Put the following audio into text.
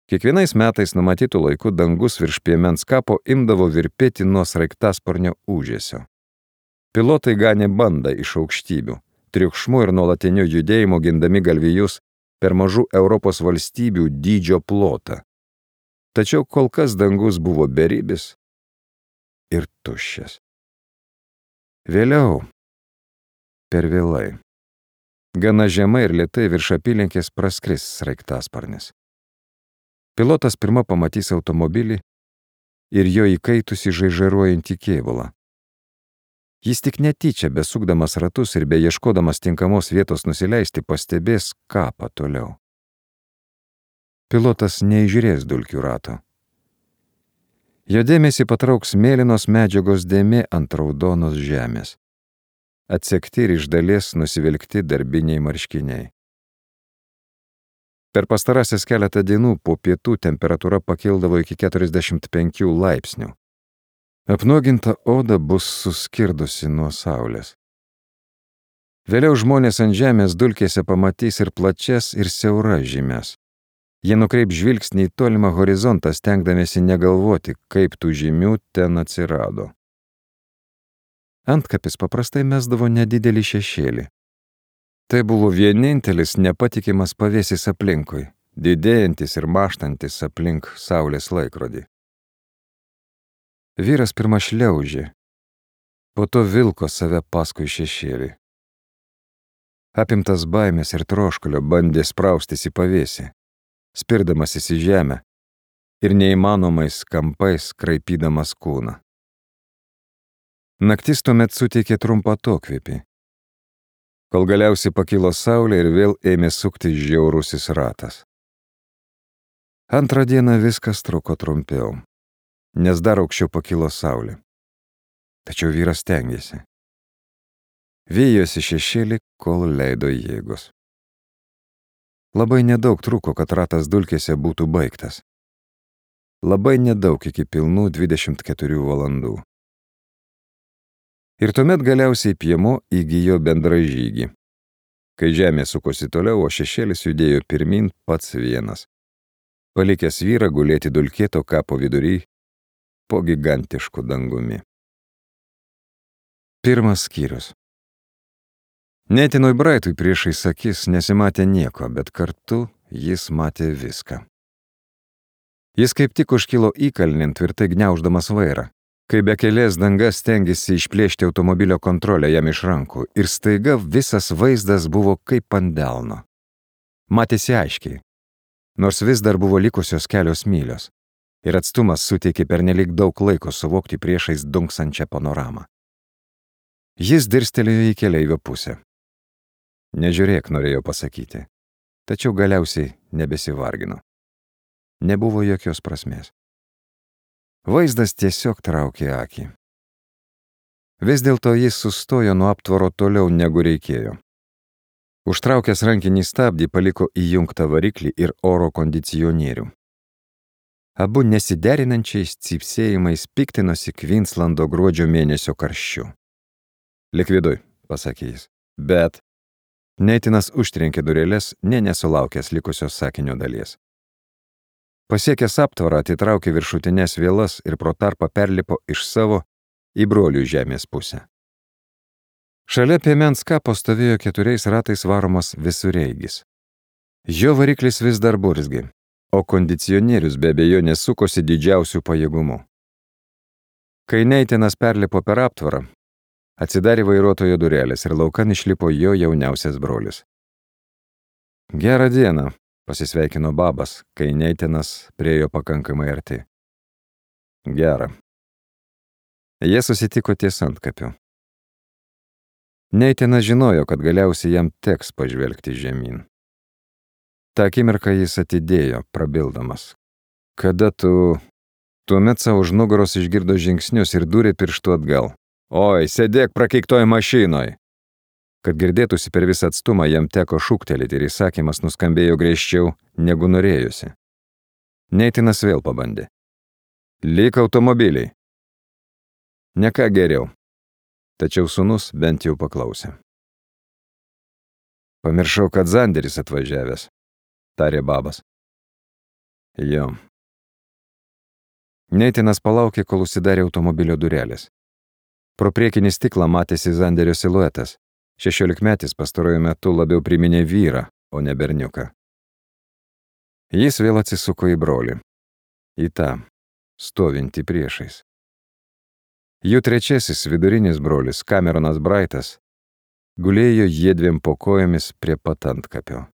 Kiekvienais metais numatytų laiku dangus virš piemens kapo imdavo virpėti nuo sraigtasparnio ūžesio. Pilotai ganė bandą iš aukštybių, triukšmu ir nuolatiniu judėjimu gindami galvijus per mažų Europos valstybių dydžio plotą. Tačiau kol kas dangus buvo beribis ir tuščias. Vėliau, per vėlai, gana žemai ir lėtai virš apylinkės praskris sraigtasparnis. Pilotas pirma pamatys automobilį ir jo įkaitusį žaižaruojantį kėbulą. Jis tik netyčia, besukdamas ratus ir beieškodamas tinkamos vietos nusileisti, pastebės kapą toliau. Pilotas neįžiūrės dulkių rato. Jo dėmesį patrauks mėlynos medžiagos dėmė ant raudonos žemės. Atsekti ir iš dalies nusivilkti darbiniai marškiniai. Per pastarąsias keletą dienų po pietų temperatūra pakildavo iki 45 laipsnių. Apnuoginta oda bus suskirdusi nuo saulės. Vėliau žmonės ant žemės dulkėse pamatys ir plačias, ir siauras žymes. Jie nukreip žvilgsnį į tolimą horizontą, stengdamiesi negalvoti, kaip tų žymių ten atsirado. Antkapis paprastai mesdavo nedidelį šešėlį. Tai buvo vienintelis nepatikimas pavėsis aplinkui, didėjantis ir maštantis aplink saulės laikrodį. Vyras pirma šliaužė, po to vilko save paskui šešėlį. Apimtas baimės ir troškulio bandė spraustis į pavėsį, spirdamasis į žemę ir neįmanomais kampais kraipydamas kūną. Naktis tuomet suteikė trumpą atokvėpį, kol galiausiai pakilo saulė ir vėl ėmė suktis žiaurusis ratas. Antrą dieną viskas truko trumpiau, nes dar aukščiau pakilo saulė. Tačiau vyras stengėsi. Vijosi šešėlį, kol leido jėgos. Labai nedaug truko, kad ratas dulkėse būtų baigtas. Labai nedaug iki pilnų 24 valandų. Ir tuomet galiausiai piemo įgijo bendražygį. Kai žemė sukosi toliau, o šešėlis judėjo pirmin pats vienas, palikęs vyrą gulėti dulkėto kapo vidury po gigantišku dangumi. Pirmas skyrius. Netinui Braitui priešais akis nesimatė nieko, bet kartu jis matė viską. Jis kaip tik užkilo įkalnin, tvirtai gniauždamas vairą, kai bekelės dangas stengėsi išplėšti automobilio kontrolę jam iš rankų, ir staiga visas vaizdas buvo kaip ant delno. Matėsi aiškiai, nors vis dar buvo likusios kelios mylios, ir atstumas suteikė pernelyg daug laiko suvokti priešais dunksančią panoramą. Jis dirstelėjo į keleivio pusę. Nežiūrėk, norėjo pasakyti, tačiau galiausiai nebesivargino. Nebuvo jokios prasmės. Vaizdas tiesiog traukė akį. Vis dėlto jis sustojo nuo aptvaro toliau negu reikėjo. Užtraukęs rankinį stabdį paliko įjungtą variklį ir oro kondicionierių. Abu nesiderinančiais cypsėjimais piktinosi Kvinslando gruodžio mėnesio karščiu. Lik viduj, pasakė jis, bet Neitinas užtrenkė durėlės, nesulaukęs likusios sakinio dalies. Pasiekęs aptvarą, atitraukė viršutinės vielas ir pro tarpą perlipo iš savo į brolių žemės pusę. Šalia piemens kapo stovėjo 4 ratais varomas visureigis. Jo variklis vis dar burzgė, o kondicionierius be abejonės sukosi didžiausių pajėgumų. Kai Neitinas perlipo per aptvarą, atsidarė vairuotojo durelės ir laukan išlipo jo jauniausias brolis. Gerą dieną, pasisveikino Babas, kai Neitinas priejo pakankamai arti. Gerą. Jie susitiko ties antkapiu. Neitinas žinojo, kad galiausiai jam teks pažvelgti žemyn. Ta akimirką jis atidėjo, prabildamas. Kada tu... Tuomet savo už nugaros išgirdo žingsnius ir dūrė pirštu atgal. Oi, sėdėk prakeiktoj mašinoj. Kad girdėtųsi per visą atstumą, jam teko šūktelėti ir įsakymas nuskambėjo griežčiau, negu norėjusi. Neitinas vėl pabandė. Lik automobiliai. Ne ką geriau. Tačiau sūnus bent jau paklausė. Pamiršau, kad Zanderis atvažiavęs, tarė Babas. Jo. Neitinas palaukė, kol užsidarė automobilio durelės. Pro priekinį stiklą matėsi Zanderio siluetas. 16-metis pastaruoju metu labiau priminė vyrą, o ne berniuką. Jis vėl atsisuko į brolį. Į tą, stovintį priešais. Jų trečiasis vidurinis brolis, Cameronas Brightas, gulėjo jiedviem po kojomis prie pat antkapio.